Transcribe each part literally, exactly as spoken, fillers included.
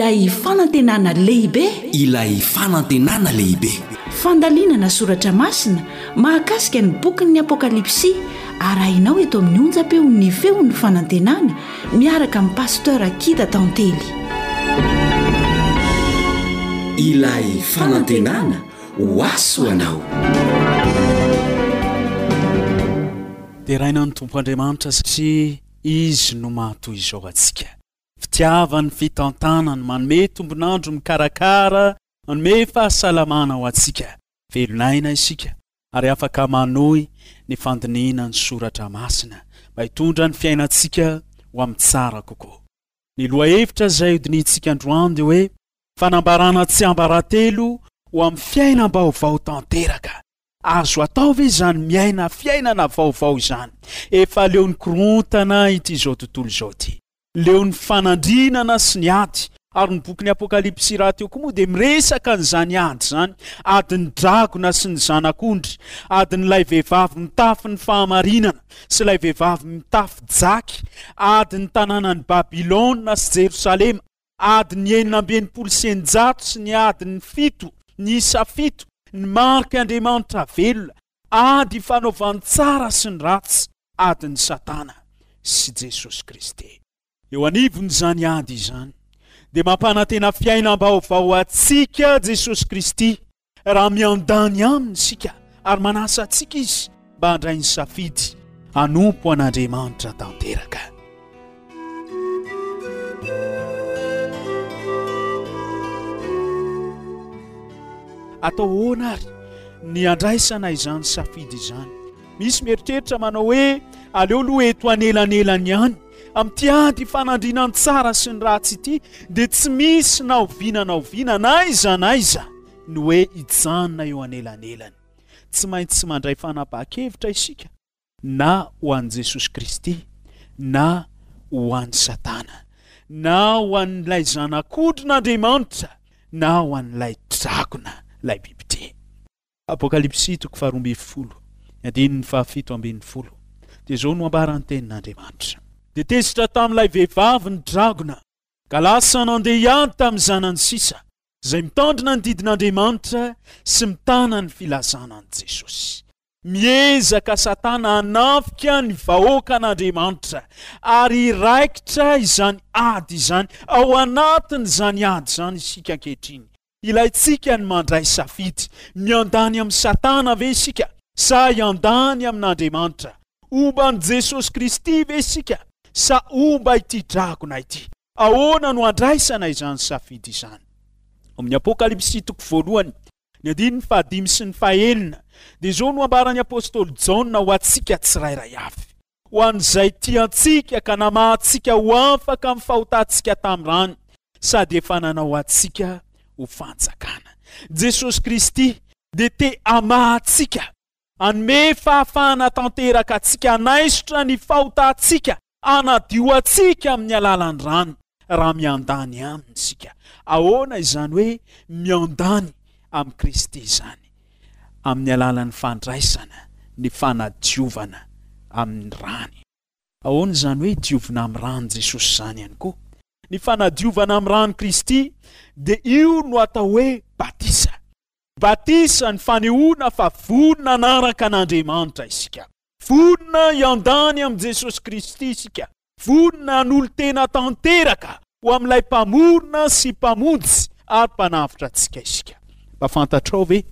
Ilay fanantenana lehibe. Ilay fanantenana lehibe. Fandalinana soratra masina mahakasika ny bokin'ny Apokalypsy, arahinao eto amin'ny onjam-peon'ny Feon'ny Fanantenana miaraka amin'ny Pasteur Akida Tantely. Ilay fanantenana ho aso anao. Deraina ny Tompo Andriamanitra satria Izy no mahatoy izao antsika. Fitiavany, fitantanany, manome tombon'andro, mikarakara, manome fahasalamana ho antsika. Velon'aina isika ary afaka manohy ny fandinihina ny soratra masina mba hitondra ny fiainantsika ho amin'ny tsara kokoa. Ny lohahevitra izay hodinihintsika androany dia hoe fanambarana tsiambaratelo ho amin'ny fiainam-baovao tanteraka. Azo atao ve izany miaina fiainana vaovao izany? Efa leon'ny korontana ity izao tontolo izao ity. Leon'ny fanandrinana sy ny ady. Ary ny bokin'ny Apokalypsy rahateo koa moa dia miresaka an'izany ady izany. Adin'ny dragona sy ny zanak'ondry. Adin'ilay vehivavy mitafy ny fahamarinana sy ilay vehivavy mitafy jaky. Adin'ny tanànan'i Babylona sy Jerosalema. Adin'ny enina amby enimpolo sy eninjato sy ny adin'ny fito, ny isa fito, ny marik'Andriamanitra velona. Ady ifanaovan'ny tsara sy ny ratsy. Adin'i Satana sy Jesosy Kristy. Eo anivon'izany ady izany dia mampanantena fiainam-baovao antsika Jesosy Kristy raha miandany aminy isika ary manasa antsika Izy mba handray ny safidy hanompo an'Andriamanitra tanteraka. Atao ahoana ary ny handraisana izany safidy izany? Misy mieritreritra manao hoe aleo aloha eto anelanelany ihany. Amin'ity ady ifanandriana ny tsara sy ny ratsy ity dia tsy misy na oviana na oviana na aiza na aiza ny hoe hijanona eo anelanelany. Tsy maintsy mandray fanapahan-kevitra isika na ho an'i Jesosy Kristy na ho an'i Satana, na ho an'ilay Zanak'ondrin'Andriamanitra na ho an'ilay dragona, ilay bibidia. Apokalypsy toko faharoa ambin'ny folo, ny andininy fahafito ambin'ny folo, dia izao no ambaran'ny tenin'Andriamanitra. Dia tezitra tamin'ilay vehivavy ny dragona, ka lasa nandeha hiady tamin'ny zanany sisa, izay mitandrina ny didin'Andriamanitra sy mitana ny filazana an'i Jesosy. Miezaka Satana hanafika ny vahoakan'Andriamanitra, ary hiraikitra izany ady izany. Ao anatin'izany ady izany isika ankehitriny. Ilaintsika ny mandray safidy. Miandany amin'i Satana ve isika sa hiandany amin'Andriamanitra? Homba an'i Jesosy Kristy ve isika sa homba ity dragona ity? Ahoana no handraisana izany safidy izany? Ao amin'ny Apokalypsy toko voalohany, ny andininy fahadimy sy ny fahenina, dia izao no ambaran'ny apostoly Jaona ho antsika tsirairay avy. Ho an'izay tia antsika ka namaha antsika ho afaka amin'ny fahotantsika tamin'ny rany, sady efa nanao antsika ho fanjakana. Jesosy Kristy dia te hamaha antsika, hanome fahafahana tanteraka antsika hanaisotra ny fahotantsika, hanadio antsika amin'ny alalan'ny rany, raha miandany aminy isika. Ahoana izany hoe miandany amin'i Kristy izany? Amin'ny alalan'ny fandraisana ny fanadiovana amin'ny rany. Ahoana izany hoe diovina amin'ny ran'i Jesosy izany ihany koa? Ny fanadiovana amin'ny ran'i Kristy dia io no atao hoe batisa. Batisa ny fanehoana fa vonona hanaraka an'Andriamanitra isika. Vonona hiandany amin'i Jesosy Kristy isika. Vonona hanolo-tena tanteraka ho amin'ilay Mpamorona sy Mpamonjy ary Mpanavotra antsika isika. Mba fantatrao ve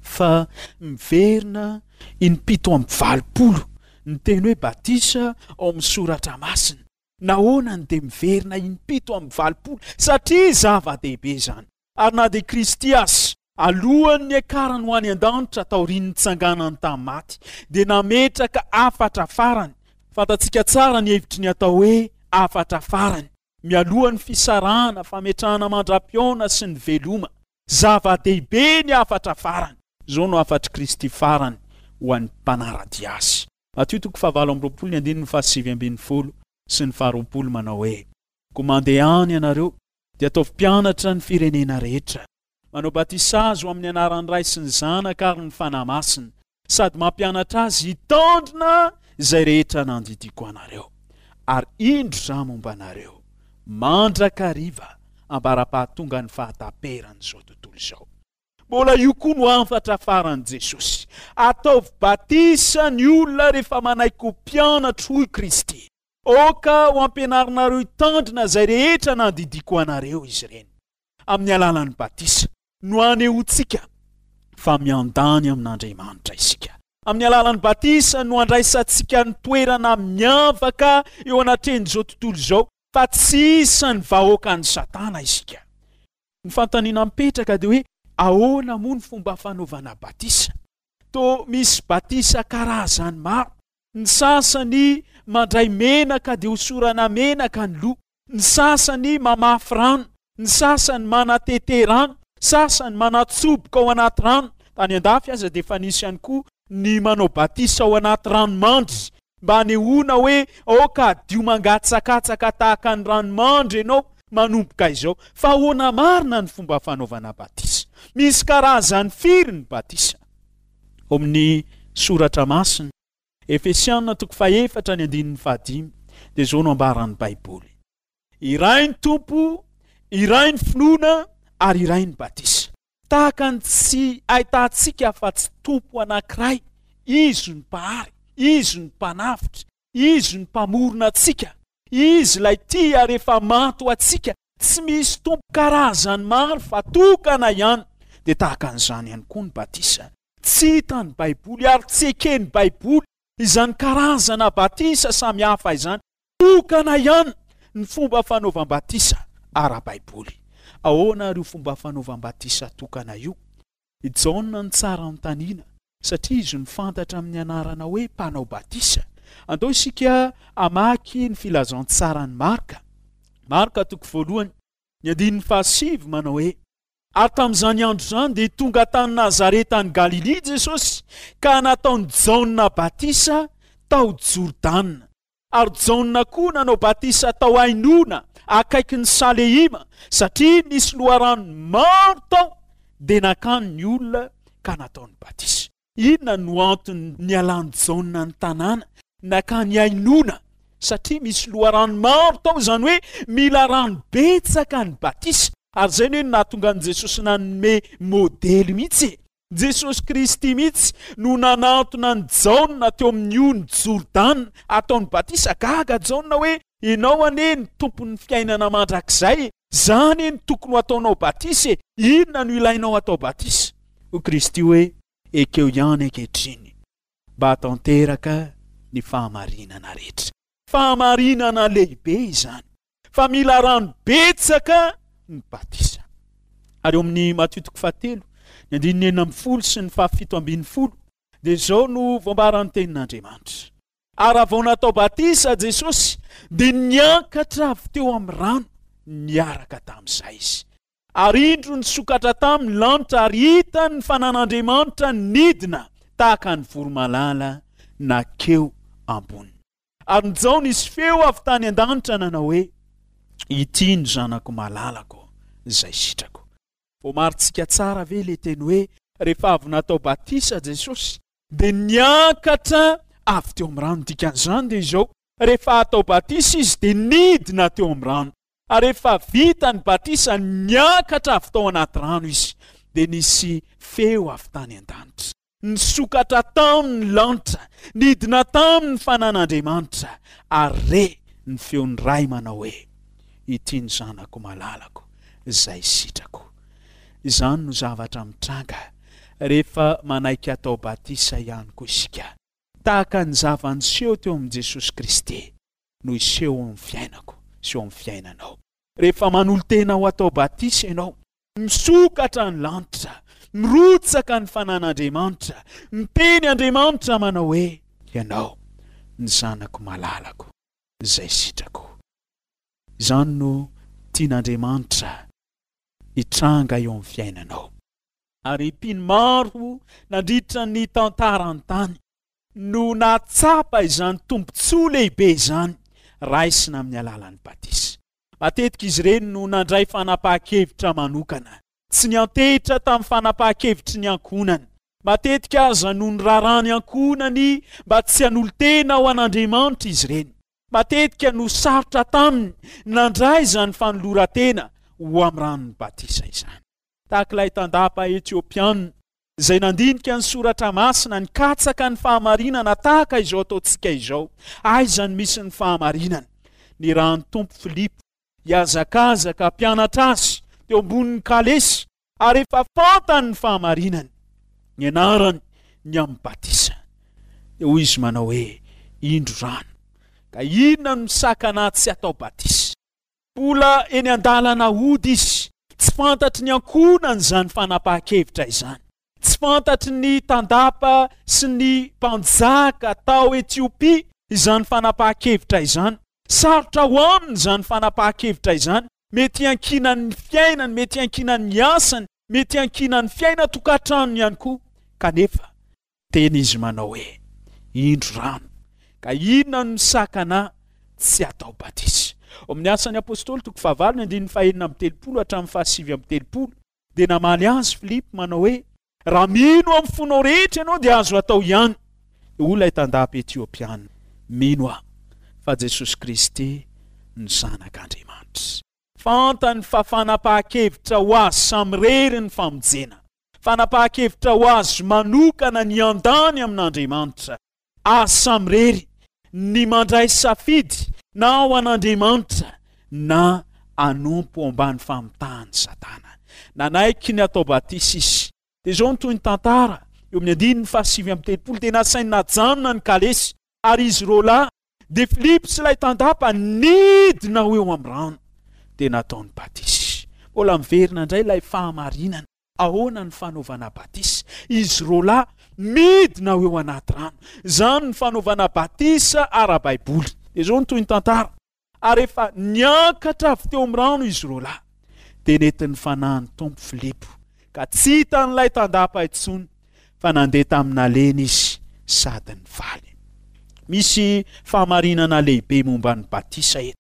fa miverina impito amby valopolo ny teny hoe batisa ao amin'ny soratra masina? Nahoana no dia miverina impito amby valopolo? Satria zava-dehibe izany. Ary na dia Kristy aza, alohan'ny niakarany ho any an-danitra taorian'ny nitsanganany tamin'ny maty, dia nametraka hafatra farany. Fantatsika tsara ny hevitry ny atao hoe hafatra farany, mialoha ny fisarahana, fametrahana mandra-pihaona sy ny veloma. Zava-dehibe ny hafatra farany. Izao no hafatr'i Kristy farany ho an'ny mpanara-dia azy. Matio toko fahavalo amby roapolo ny andininy fahasivy ambin'ny folo sy ny faharoapolo manao hoe, Koa mandehana ianareo, dia ataovy mpianatra ny firenena rehetra, manao batisa azy ho amin'ny anaran'ny Ray sy ny Zanaka ary ny Fanahy Masina, sady mampianatra azy hitandrina izay rehetra nandidiako anareo. Ary indro Izaho momba anareo mandrakariva ambara-pahatonga ny fahataperan'izao tontolo izao. Mbola io koa no hafatra faran'i Jesosy. Ataovy batisa ny olona rehefa manaiky ho mpianatro, hoy Kristy. Aoka ho ampianarinareo hitandrina izay rehetra nandidiako anareo izy ireny. Amin'ny alalan'ny batisa no anehoantsika fa miandany amin'Andriamanitra isika. Amin'ny alalan'ny batisa no andraisantsika ny toerana miavaka eo anatrehan'izao tontolo izao fa tsy isan'ny vahoakan'i Satana isika. Ny fanontaniana mipetraka dia hoe ahoana moa ny fomba fanaovana batisa? Toa misy batisa karazany maro. Ny sasany mandray menaka dia hosorana menaka ny loha. Ny sasany mamafy rano. Ny sasany manatete rano. Sasany manatsoboka ao anaty rano. Tany an-dafy aza dia efa nisy ihany koa ny manao batisa ao anaty ranomandry mba hanehoana hoe aoka hadio mangatsakatsaka tahaka ny ranomandry ianao manomboka izao. Fa ahoana marina ny fomba fanaovana batisa? Misy karazany firy ny batisa? Ao amin'ny soratra masina, Efesiana toko fahefatra ny andininy fahadimy, dia izao no ambaran'ny Baiboly. Iray ny Tompo, iray ny finoana ary iray ny batisa. Tahaka ny tsy ahitantsika fa tsy Tompo anankiray, Izy no Mpahary, Izy no Mpanavotra, Izy no Mpamorona antsika, Izy ilay tia ary efa maty ho antsika. Tsy misy Tompo karazany maro fa tokana ihany. Dia tahaka an'izany ihany koa ny batisa. Tsy hitan'ny Baiboly ary tsy eken'ny Baiboly izany karazana batisa samihafa izany. Tokana ihany ny fomba fanaovam-batisa ara-baiboly. Ahoana ary io fomba fanaovam-batisa tokana io? I Jaona no tsara anontaniana satria izy no fantatra amin'ny anarana hoe mpanao batisa. Andao isika hamaky ny filazantsaran'i Marka. Marka toko voalohany, ny andininy fahasivy manao hoe: Ary tamin'izany andro izany dia tonga tany Nazareta any Galilia Jesosy ka nataon'i Jaona batisa tao Jordana. Ary Jaona koa nanao batisa tao Ainona akaikin'i Saleima, satria nisy loharano maro tao, dia nankany ny olona ka nataony batisa. Inona no antony nialan'i Jaona ny tanàna nankany Ainona? Satria misy loharano maro tao, izany hoe mila rano betsaka ny batisa. Ary izay no nahatonga an'i Jesosy nanome modely mihitsy. Jesosy Kristy mihitsy no nanantona an'i Jaona teo amin'ny ony Jordana ataony batisa. Gaga Jaona hoe ianao anie ny tompon'ny fiainana mandrakizay, zany no tokony ho ataonao batisa e, inona no ilainao atao batisa? Hoy Kristy hoe ekeo ihany ankehitriny mba hatanteraka ny fahamarinana rehetra. Fahamarinana lehibe izany fa mila rano betsaka ny batisa. Ary eo amin'ny Matio toko fahatelo, ny andininy enina ambin'ny folo sy ny fahafito ambin'ny folo, dia izao no voambaran'ny tenin'Andriamanitra. Ary raha vao natao batisa Jesosy, dia niakatra avy teo amin'ny rano niaraka tamin'izay izy. Ary indro nisokatra tamin'ny lanitra ary hitany ny fanan'Andriamanitra nidina tahaka ny voromailala nakeo amboniny. Ary njao nisy feo avy tany an-danitra nanao hoe: Ity ny zanako malalako izay sitrako. Voamarintsika tsara ve ilay teny hoe rehefa avy natao batisa Jesosy dia niakatra avy teo amin'ny rano? Dikan'izany dia izao: rehefa atao batisa izy dia nidina teo amin'ny rano, ary rehefa vita ny batisa niakatra avy tao anaty rano izy, dia nisy feo avy tany an-danitra. Nisokatra tamin'ny lanitra, nidina tamin'ny fanan'Andriamanitra, ary re ny feon'ny Ray manao hoe: Ity ny zanako malalako izay sitrako. Izany no zavatra mitranga rehefa manaiky atao batisa ihany koa isika. Tahaka ny zava-niseho teo amin'i Jesosy Kristy no hiseho eo amin'ny fiainako sy eo amin'ny fiainanao. Rehefa manolo-tena ho atao batisa ianao, misokatra ny lanitra, mirotsaka ny fanan'Andriamanitra, miteny Andriamanitra manao hoe: Ianao ny zanako malalako izay sitrako. Izany no tian'Andriamanitra hitranga eo amin'ny fiainanao. Ary mpino maro nandritra ny tantaran-tany no nahatsapa izany tombontsoa lehibe izany raisina amin'ny alalan'ny batisa. Matetika izy ireny no nandray fanapahan-kevitra manokana, tsy niantehitra tamin'ny fanapahan-kevitry ny ankohonany. Matetika aza no nirarany ankohonany mba tsy hanolo-tena ho an'Andriamanitra izy ireny. Matetika no sarotra taminy nandray izany fanoloran-tena ho amin'ny ranon'ny batisa izany. Tahaka ilay tandapa Etiopiana izay nandinika ny soratra masina, nikatsaka ny fahamarinana tahaka izao ataontsika izao. Aiza no misy ny fahamarinana? Nirahan'ny Tompo Filipo hihazakazaka hampianatra azy teo ambonin'ny kalesy, ary efa fantany ny fahamarinany, ny anarany ny amin'ny batisa. Dia hoy izy manao hoe, indro rano, ka inona no misakana ahy tsy hatao batisa? Mbola eny an-dalana hody izy, tsy fantatry ny ankohonany izany fanapahan-kevitra izany. Tsy fantatry ny tandapa sy ny mpanjaka tao Etiopia izany fanapahan-kevitra izany. Sarotra ho aminy izany fanapahan-kevitra izany. Mety hiankinan'ny fiainany, mety hiankinan'ny asany, mety hiankinan'ny fiainan-tokantranony ihany koa. Kanefa, teny izy manao hoe, indro rano, ka inona no misakana ahy tsy hatao batisa? Ao amin'ny Asan'ny Apostoly toko fahavalo ny andininy fahenina amby telopolo hatramin'ny fahasivy amby telopolo, dia namaly azy Filipo manao hoe, raha mino amin'ny fonao rehetra ianao dia azo atao ihany. Hoy ilay tandapa Etiopiana, mino aho fa Jesosy Kristy no Zanak'Andriamanitra. Fantany fa fanapahan-kevitra ho azy samirery ny famonjena. Fanapahan-kevitra ho azy manokana ny handany amin'Andriamanitra. Azy samirery ny mandray safidy na ho an'Andriamanitra na hanompo ao ambany famitahan'i Satana. Nanaiky ny hatao batisa izy. Dia izao no toy ny tantara, eo amin'ny andininy fahasivy amby telopolo, dia nasainy najanona ny kalesy, ary izy roa lahy, dia Filipo sy ilay tandapa, nidina ho eo amin'ny rano, dia nataony batisa. Mbola miverina indray ilay fahamarinana. Ahoana ny fanaovana batisa? Izy roa lahy midina ho eo anaty rano. Izany ny fanaovana batisa ara-baiboly. Dia izao no toy ny tantara. Ary efa niakatra avy teo amin'ny rano izy roa lahy, dia nentin'ny fanahin'ny Tompo Filipo, ka tsy hitan'ilay tandapa intsony, fa nandeha tamin'ny nalehiny izy sady nifaly. Misy fahamarinana lehibe momba ny batisa eto.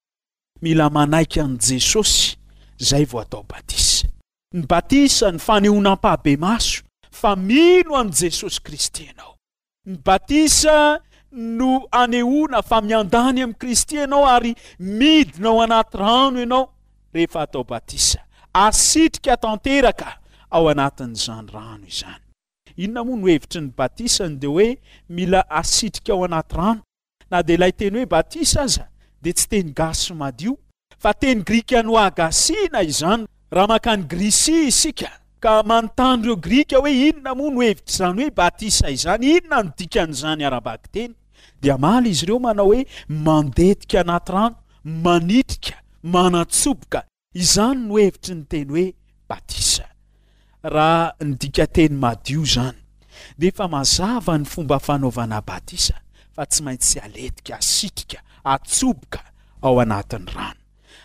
Mila manaiky an'i Jesosy izay vao atao batisa. Ny batisa ny fanehoana ampahibemaso fa mino an'i Jesosy Kristy ianao. Ny batisa no anehoana fa miandany amin'i Kristy ianao ary midina ao anaty rano ianao rehefa atao batisa. Asitrika tanteraka ao anatin'izany rano izany. Inona moa no hevitry ny batisa? Ny dia hoe mila asitrika ao anaty rano. Na dia ilay teny hoe batisa aza dia tsy teny gasy madio, fa teny grika nohagasiana izany. Raha mankany Grisia isika ka manontany ireo Grika hoe inona moa no hevitr'izany hoe batisa izany, inona no dikan'izany ara-bakiteny, dia hamaly izy ireo manao hoe mandetika anaty rano, manitrika, manatsoboka. Izany no hevitry ny teny hoe batisa. Raha ny dikanteny madio izany, dia efa mazava ny fomba fanaovana batisa fa tsy maintsy aletika, asitrika, atsoboka ao anatin'ny rano.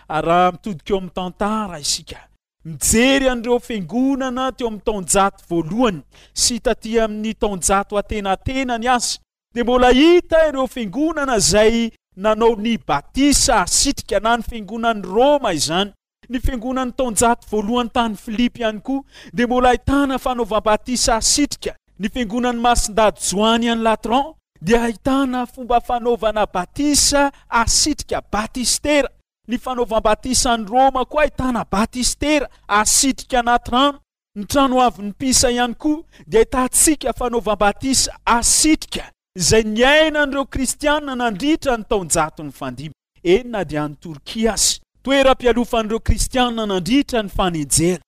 Ary raha mitodika eo amin'ny tantara isika, mijery an'ireo fiangonana teo amin'ny taonjato voalohany sy taty amin'ny taonjato antenatenany aza, dia mbola hita ireo fiangonana izay nanao ny batisa asitrika, na ny fiangonan'i Roma izany. Ny fiangonan'ny taonjato voalohany tany Filipy ihany koa dia mbola ahitana fanaovam-batisa asitrika. Ny fiangonan'i Masindahy Joany any Latran dia ahitana fomba fanaovana batisa asitrika, batistera. Ny fanaovam-batisa any Roma koa ahitana batistera asitrika anaty rano. Ny trano avin'ny Pisa ihany koa dia ahitantsika fanaovam-batisa asitrika izay niainan'ireo kristianina nandritra ny taonjato nifandimby. Eny na dia any Torkia aza, toeram-pialofan'ireo kristianina nandritra ny fanenjehana,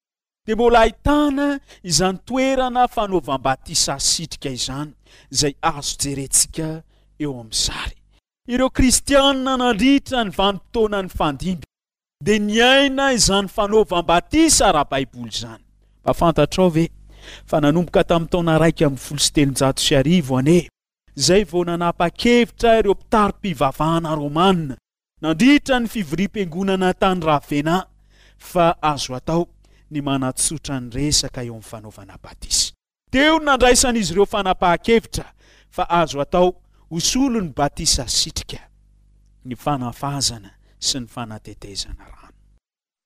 dia mbola ahitana izany toerana fanaovam-batisa asitrika izany izay azo jerentsika eo amin'ny sary. Ireo kristianina nandritra ny vanim-potoana nifandimby dia niaina izany fanaovam-batisa ara-baiboly izany. Mba fantatrao ve fa nanomboka tamin'ny taona iraika ambin'ny folo sy telonjato sy arivo anie izay vao nanapa-kevitra ireo mpitari-pivavahana romana nandritra ny fivoriam-piangonana tany Ravenna fa azo atao ny manatsotra ny resaka eo amin'ny fanaovana batisa. Teo no nandraisan'izy ireo fanapahan-kevitra fa azo atao ho solon'ny batisa sitrika ny fanafazana sy ny fanatetezana rano.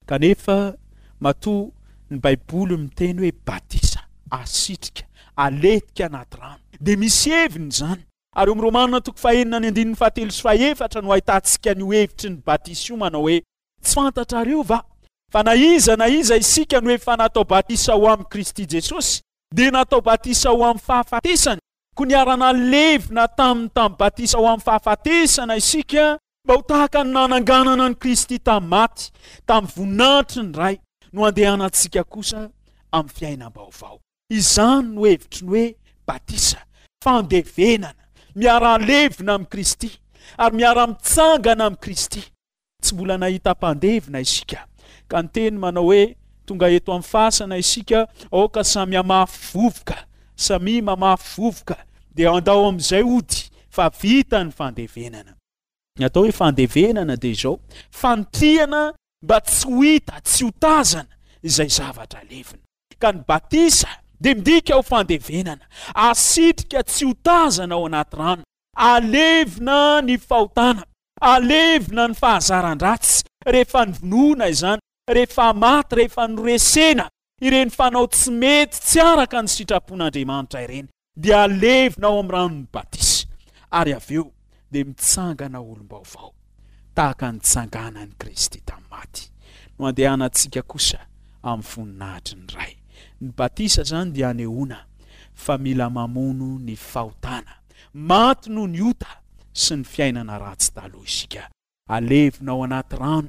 Kanefa matoa ny Baiboly miteny hoe batisa, asitrika, aletika anaty rano, dia misy heviny izany. Ary eo amin'ny Romana toko fahenina ny andininy fahatelo sy fahefatra no ahitantsika an'io hevitry ny batisa io manao hoe, tsy fantatrareo va Fa na iza na iza isika no efa natao batisa ho amin'i Kristy Jesosy, dia natao batisa ho amin'ny fahafatesany. Koa niara-nalevina taminy tamin'ny batisa ho amin'ny fahafatesana isika, mba ho tahaka ny nananganana an'i Kristy tamin'ny maty, tamin'ny voninahitry ny Ray, no andehanantsika kosa amin'ny fiainam-baovao. Izany no hevitry ny hoe batisa, fandevenana, miara-levina amin'i Kristy ary miara-mitsangana amin'i Kristy. Tsy mbola nahita mpandevina isika, ka ny teny manao hoe tonga eto amin'ny fasana isika, aoka samy hamafy vovoka, samy mamafy vovoka, dia andao amin'izay hody fa vita ny fandevenana. Ny atao hoe fandevenana dia izao, fanitrihana mba tsy ho hita, tsy ho tazana izay zavatra levina. Ka ny batisa dia midika ho fandevenana, asitrika tsy ho tazana ao anaty rano, alevina ny fahotana, alevina ny fahazaran-dratsy rehefa novonoina izany, rehefa maty, rehefa noresena ireny fanao tsy mety tsy araka ny sitrapon'Andriamanitra ireny, dia alevina ao amin'ny ranon'ny batisa, ary avy eo dia mitsangana olom-baovao tahaka ny tsanganan'i Kristy tamin'ny maty. No andehanantsika kosa amin'ny voninahitry ny Ray. Ny batisa izany dia anehoana fa mila mamono ny fahotana, maty noho ny ota sy ny fiainana ratsy taloha isika. Alevina ao anaty rano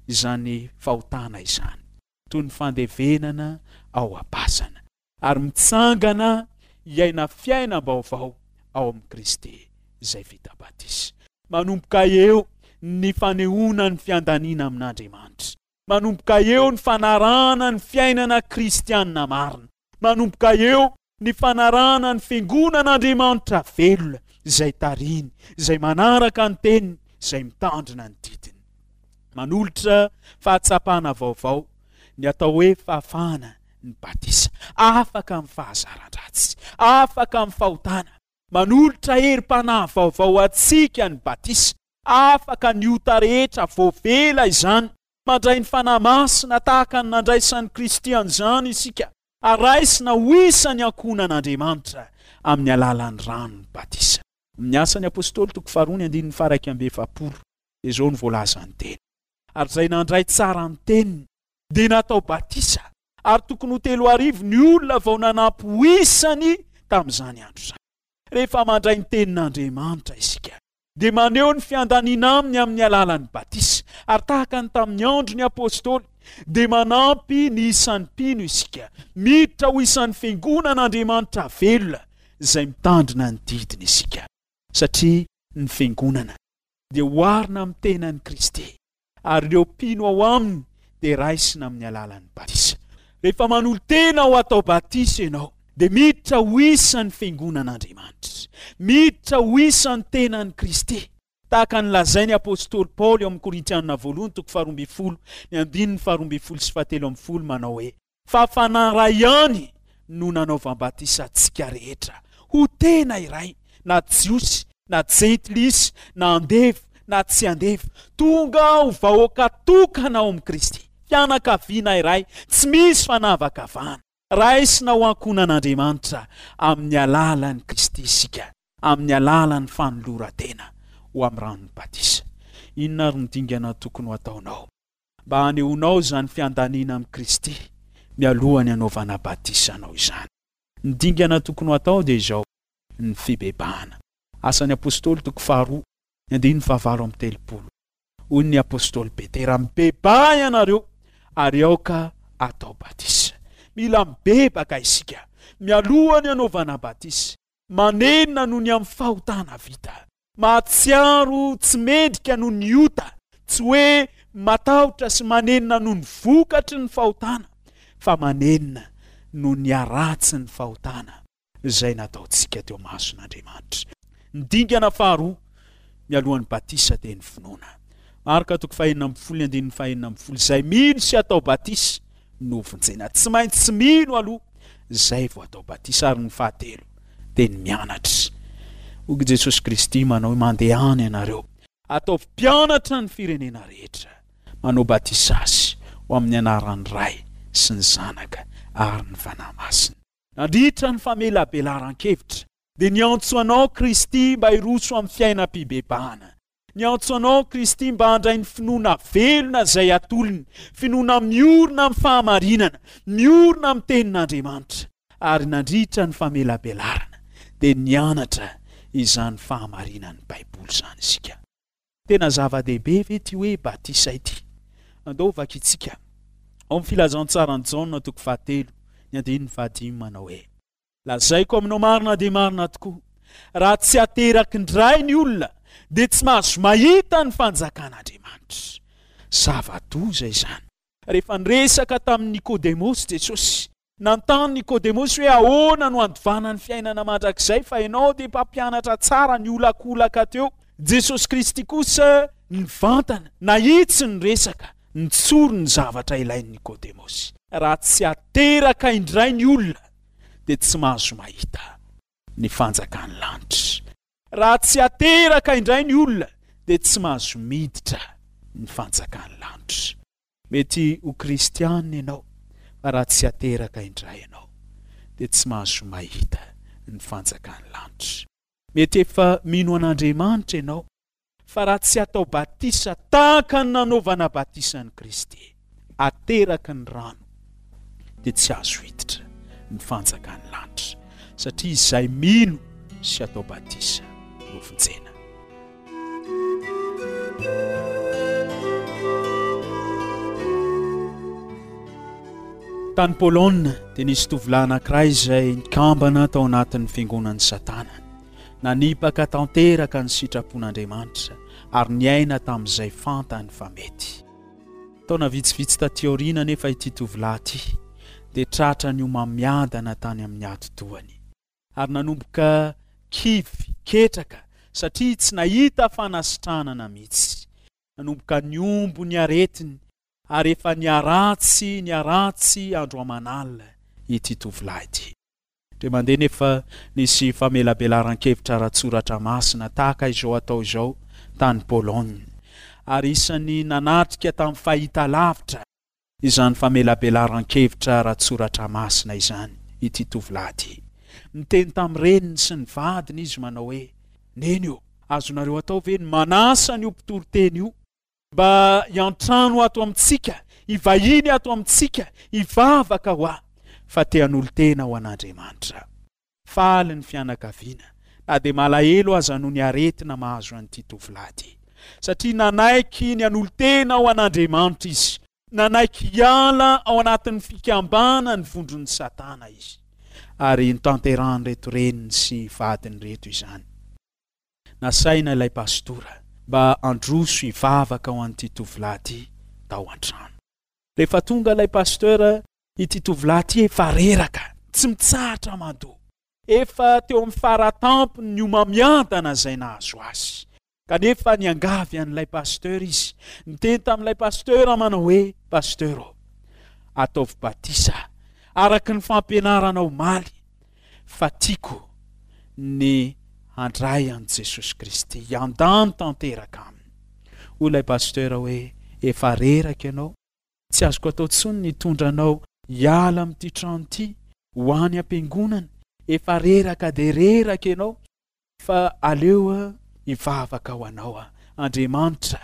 izany fahotana izany, toy ny fandevenana ao am-pasana, ary mitsangana hiaina fiainam-baovao ao amin'i Kristy izay vita batisa. Manomboka eo ny fanehoana ny fiandaniana amin'Andriamanitra. Manomboka eo ny fanarahana ny fiainana kristianina marina. Manomboka eo ny fanarahana ny fiangonan'Andriamanitra velona izay tarihiny, izay manaraka ny teniny, izay mitandrina ny didiny. Manolotra fahatsapana vaovao ny atao hoe fahafahana ny batisa, afaka amin'ny fahazaran-dratsy, afaka amin'ny fahotana. Manolotra herim-panahy vaovao antsika ny batisa, afaka ny ota rehetra voavela izany. Mandray ny Fanahy Masina tahaka ny nandraisan'i Kristy an'izany isika, ary raisina ho isan'ny ankohonan'Andriamanitra amin'ny alalan'ny ranon'ny batisa. Amin'ny Asan'ny Apôstôly toko faharoa ny andininy faha-iraika amby efapolo dia izao no voalazan'ny teny: ary izay nandray tsara ny teniny dia natao batisa, ary tokony ho telo arivo ny olona vao nanampy ho isany tamin'izany andro izany. Rehefa mandray ny tenin'Andriamanitra isika, dia maneho ny fiandaniana aminy amin'ny alalan'ny batisa, ary tahaka ny tamin'ny andron'ny apôstôly dia manampy ny isan'ny mpino isika, miditra ho isan'ny fiangonan'Andriamanitra velona izay mitandrina ny didiny isika, satria ny fiangonana dia oharina amin'ny tenan'i Kristy, ary ireo mpino ao aminy dia raisina amin'ny alalan'ny batisa. Rehefa manolo-tena ho atao batisa ianao, dia miditra ho isan'ny fiangonan'Andriamanitra, miditra ho isan'ny tenan'i Kristy, tahaka ny lazain'ny apôstôly Paoly ao amin'ny Korintianina voalohany toko faharoa ambin'ny folo ny andininy faharoa ambin'ny folo sy fahatelo ambin'ny folo manao hoe: fa Fanahy iray ihany no nanaovam-batisa antsika rehetra ho tena iray, na Jiosy na Jentilisa, na andevo na tsy andevo, tonga ho vahoaka tokana ao amin'i Kristy, fianakaviana iray, tsy misy fanavakavahana. Raisina ho ankohonan'Andriamanitra amin'ny alalan'i Kristy isika, amin'ny alalan'ny fanoloran-tena ho amin'ny ranon'ny batisa. Inona ary no dingana tokony ho ataonao mba hanehoanao izany fiandaniana amin'i Kristy mialohan'ny hanaovana batisa anao izany? Ny dingana tokony ho atao dia izao: ny fibebahana. Asan'ny Apôstôly toko faharoa, ny andininy fahavalo amby telopolo. Hoy ny Apôstôly Petera: mibebaha ianareo ary aoka atao batisa. Mila mibebaka isika mialohan'ny hanaovana batisa. Manenina noho ny amin'ny fahotana vita, mahatsiaro tsy mendrika noho ny ota, tsy hoe matahotra sy manenina noho ny vokatry ny fahotana, fa manenina noho ny haratsin'ny fahotana izay nataontsika teo mason'Andriamanitra. Ny dingana faharoa mialohan'ny batisa dia ny finoana. Marka toko fahenina ambin'ny folo ny andininy fahenina ambin'ny folo: izay mino sy atao batisa no vonjena. Tsy maintsy mino aloha izay vao atao batisa. Ary ny fahatelo dia ny mianatra. Hoy Jesosy Kristy manao hoe: mandehana ianareo, ataovy mpianatra ny firenena rehetra, manao batisa azy ho amin'ny anaran'ny Ray sy ny Zanaka ary ny Fanahy Masina. Nandritra ny famelabelaran-kevitra dia niantso anao Kristy mba hiroso amin'ny fiainam-pibebahana. Niantso anao Kristy mba handray ny finoana velona izay atolony, finoana miorina amin'ny fahamarinana, miorina amin'ny tenin'Andriamanitra. Ary nandritra ny famelabelarana dia nianatra izany fahamarinan'ny Baiboly izany isika. Tena zava-dehibe ve ity hoe batisa ity? Andao vakintsika ao amin'ny filazantsaran'i Jaona toko fahatelo ny andininy fahadimy manao hoe: Lazaiko aminao marina dia marina tokoa, raha tsy ateraky indray ny olona dia tsy mahazo mahita ny fanjakan'Andriamanitra. Zava-doza izany. Rehefa niresaka tamin'i Nikodemosy Jesosy, nanontany Nikodemosy hoe ahoana no handovana ny fiainana mandrakizay fa ianao dia mpampianatra tsara niolakolaka teo. Jesosy Kristy kosa nivantana, nahitsy ny resaka, nitsory ny zavatra ilain'i Nikodemosy. Raha tsy ateraka indray ny olona dia tsy mahazo mahita ny fanjakan'ny lanitra. Raha tsy ateraka indray ny olona dia tsy mahazo miditra ny fanjakan'ny lanitra. Mety ho kristianina ianao, fa raha tsy ateraka indray ianao dia tsy mahazo mahita ny fanjakan'ny lanitra. Mety efa mino an'Andriamanitra ianao, fa raha tsy atao batisa tahaka ny nanaovana batisa an'i Kristy, ateraky ny rano, dia tsy azo hiditra ny fanjakan'ny lanitra, satria izay mino sy atao batisa no vonjena. Tany Polonina dia nisy tovolahy anankiray izay nikambana tao anatin'ny fiangonan'i Satana. Nanipaka tanteraka ny sitrapon'Andriamanitra ary niaina tamin'izay fantany fa mety. Taona vitsivitsy taty aoriana anefa ity tovolahy ity dia tratra ny homamiadana tany amin'ny atidohany ary nanomboka kivy, ketraka satria tsy nahita fanasitranana mihitsy. Nanomboka niombo ny aretiny ary efa niharatsy niharatsy andro aman'alina ity tovolahy ity. Indray mandeha nefa nisy famelabelaran-kevitra ara-tsoratra masina tahaka izao atao izao tany Pologne, ary isan'ny nanatrika tamin'ny fahitalavitra izany famelabelaran-kevitra ara-tsoratra masina izany ity tovolahy ity. Niteny tamin'ny reniny sy ny vadiny izy manao hoe: Neny ô, azonareo atao ve ny manasa an'io mpitoriteny io mba hiantrano ato amintsika, hivahiny ato amintsika, hivavaka ho ahy, fa te hanolo-tena ho an'Andriamanitra. Faly ny fianakaviana, na dia malahelo aza noho ny aretina mahazo an'ity tovolahy ity, satria nanaiky ny hanolo-tena ho an'Andriamanitra izy, nanaiky hiala ao anatin'ny fikambanan'ny vondron'i Satana izy, ary notanterahan'ireto reniny sy vadiny ireto izany. Nasaina ilay pastora mba handroso hivavaka ho an'ity tovolahy ity tao an-trano. Rehefa tonga ilay pasteur, ity tovolahy ity efa reraka, tsy mitsahatra mandoa. Efa teo amin'ny faratampony ny homamiadana izay nahazo azy. Kanefa niangavy an'ilay pasteur izy. Niteny tamin'ilay pasteur manao hoe: Pasteur ô, ataovy batisa araka ny fampianarana omaly, fa tiako ny handray an'i Jesosy Kristy, hiandany tanteraka aminy. Hoy ilay pasteur hoe: Efa reraka ianao, tsy azoko atao intsony ny hitondra anao hiala amin'ity trano ity ho any am-piangonana, efa reraka dia reraka ianao, fa aleo hivavaka ho anao Andriamanitra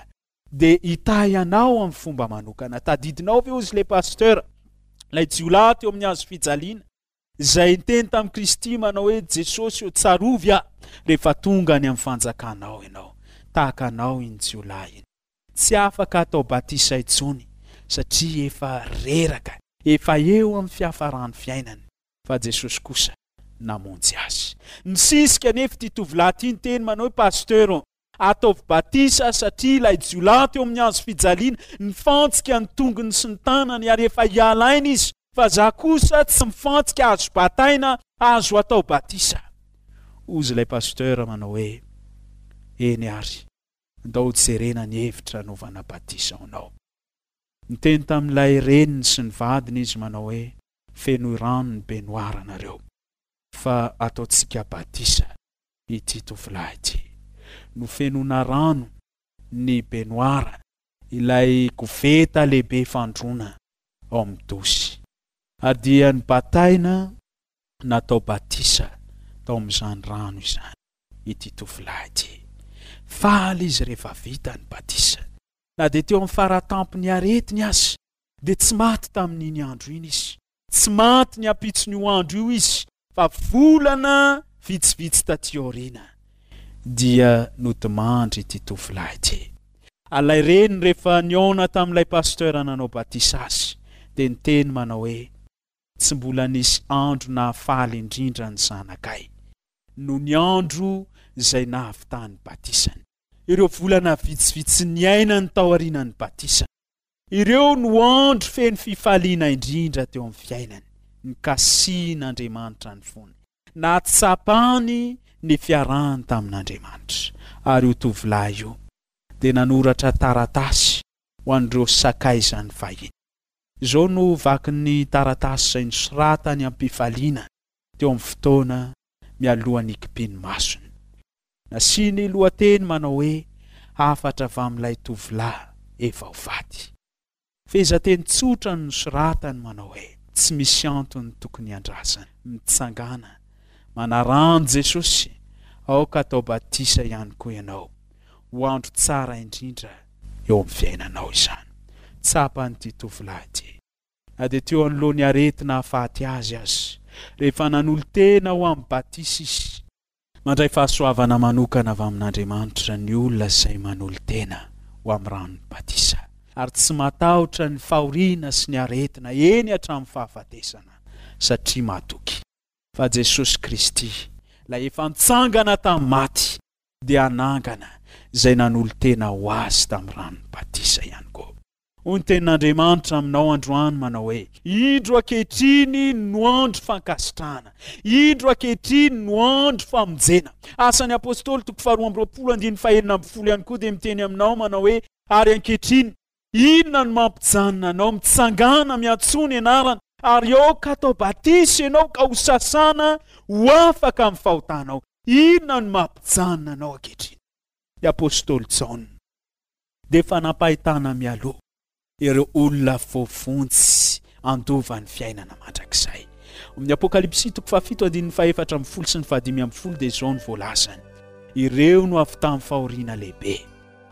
dia hitahy anao amin'ny fomba manokana. Tadidinao ve hozy ilay pasteur, ilay jiolahy teo amin'ny hazo fijaliana, izay niteny tamin'i Kristy manao hoe: Jesosy ô, tsarovy aho rehefa tonga any amin'ny fanjakanao ianao. Tahaka anao iny jiolahy iny, tsy afaka atao batisa intsony satria efa reraka, efa eo amin'ny fiafaran'ny fiainany, fa Jesosy kosa namonjy azy. Nisisika anefa ity tovolahy ity niteny manao hoe: Pasteur ô, ataovy batisa satria ilay jiolahy teo amin'ny hazo fijaliana nifantsika ny tongony sy ny tanany ary efa hiala aina izy, fa za kosa tsy mifantsika, azo bataina, azo atao batisa. Hozy ilay pasteur manao hoe: Eny ary, ndao jerena ny hevitra anaovana batisa ho anao. Niteny tamin'ilay reniny sy ny vadiny izy manao hoe: Fenoy rano ny baignoire nareo, fa ataontsika batisa ity tovolahy ity. Nofenoina rano ny baignoire, ilay koveta lehibe fandroana ao amin'ny dosy, ary dia nobataina natao batisa tao amin'izany rano izany ity tovolahy ity. Faly izy rehefa vita ny batisa. Na dia teo amin'ny faratampony aretiny aza, dia tsy maty tamin'iny andro iny izy. Tsy maty ny ampitson'io andro io izy, fa volana vitsivitsy taty aoriana dia nodimandry ity tovolahy ity. Ilay reny rehefa nihaona tamin'ilay pasteur nanao batisa azy, dia niteny manao hoe tsy mbola nisy andro nahafaly indrindra ny zanakay no ny andro izay nahavitany batisany. Ireo volana vitsivitsy niainany taorian'ny batisa, ireo no andro feno fifaliana indrindra teo amin'ny fiainany. Nikasihin'Andriamanitra ny fony, nahatsapany ny fiarahany tamin'Andriamanitra. Ary io tovolahy io dia nanoratra taratasy ho an'ireo sakaizany fahiny. Izao no vakin'ny taratasy izay nosoratany am-pifaliana teo amin'ny fotoana mialohan'ny hikipin'ny masony. Nasiany lohateny manao hoe hafatra avy amin'ilay tovolahy efa ho faty. Fehezanteny tsotra no nosoratany manao hoe tsy misy antony tokony hiandrasana. Mitsangàna, manaraha an'i Jesosy, aoka atao batisa ihany koa ianao. Ho andro tsara indrindra eo amin'ny fiainanao izany. Tsapan'ity tovolahy ity, na dia teo anoloan'ny aretina hahafaty azy aza, rehefa nanolo-tena ho amin'ny batisa izy. Mandray fahasoavana manokana avy amin'Andriamanitra ny olona izay manolo-tena ho amin'ny ranon'ny batisa, ary tsy matahotra ny fahoriana sy ny aretina eny hatramin'ny fahafatesana, satria matoky fa Jesosy Kristy, ilay efa nitsangana tamin'ny maty, dia hanangana izay nanolo-tena ho azy tamin'ny ranon'ny batisa ihany koa. Hoy ny tenin'Andriamanitra aminao androany manao hoe indro ankehitriny no andro fankasitrahana, indro ankehitriny no andro famonjena. Asan'ny Apôstôly toko faharoa amby roapolo andininy fahenina ambin'ny folo ihany koa dia miteny aminao manao hoe ary ankehitriny inona no mampijanona anao mitsangana miantsoa ny anarana ary aoka atao batisa ianao ka ho sasana ho afaka amin'ny fahotanao. Inona no mampijanona anao ankehitriny? Ny Apôstôly Jaona dia efa nampahitana mialoha ireo olona voavonjy handova ny fiainana mandrakizay. Amin'ny Apokalypsy toko fahafito andininy fahefatra ambin'ny folo sy ny fahadimy ambin'ny folo dia izao no voalazany: ireo no avy tamin'ny fahoriana lehibe,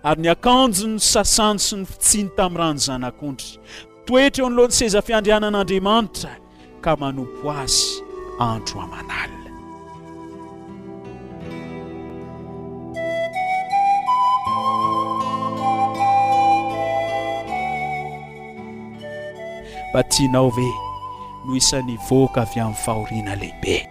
ary ny akanjony ny sasany sy ny fitsiny tamin'ny rano zanak'ondry, mitoetra eo anoloan'ny seza fiandrianan'Andriamanitra ka manompo azy andro aman'alina. Mba tianao ve no isan'ny hivoaka avy amin'ny fahoriana lehibe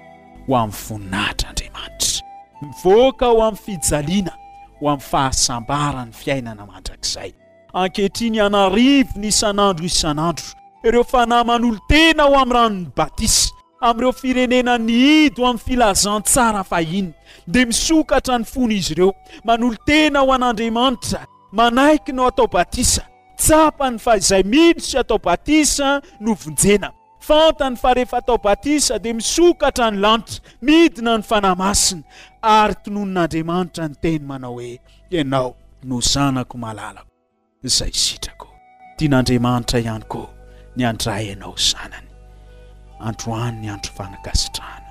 ho amin'ny voninahitr'Andriamanitra? Mivoaka ho amin'ny fijaliana, ho amin'ny fahasambaran'ny fiainana mandrakizay. Ankehitriny an'arivony isan'andro isan'andro ireo fanahy manolo-tena ho amin'ny ranon'ny batisa, amin'ireo firenena nihidy ho amin'ny filazantsara fahiny, dia misokatra ny fon'izy ireo, manolo-tena ho an'Andriamanitra, manaiky no atao batisa. Tsapany fa izay mino sy atao batisa no vonjena. Fantany fa rehefa atao batisa dia misokatra ny lanitra, midina ny Fanahy Masina, ary tononin'Andriamanitra ny teny manao hoe ianao no zanako malalako izay sitrako. Tian'Andriamanitra ihany koa ny handray anao zanany. Androany ny andro fanakasitrahana,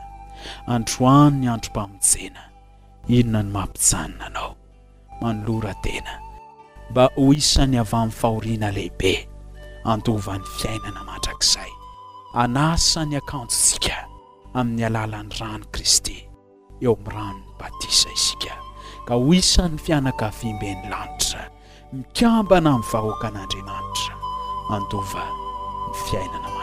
androany ny androm-pamonjena. Inona no mampijanona anao? Manolora tena mba ho isan'ny avy amin'ny fahoriana lehibe handova ny fiainana mandrakizay. Hanasa ny akanjontsika amin'ny alalan'ny ran'i Kristy eo amin'ny ranon'ny batisa isika, ka ho isan'ny fianakaviamben'ny lanitra, mikambana amin'ny vahoakan'Andriamanitra handova ny fiainana mandrakizay.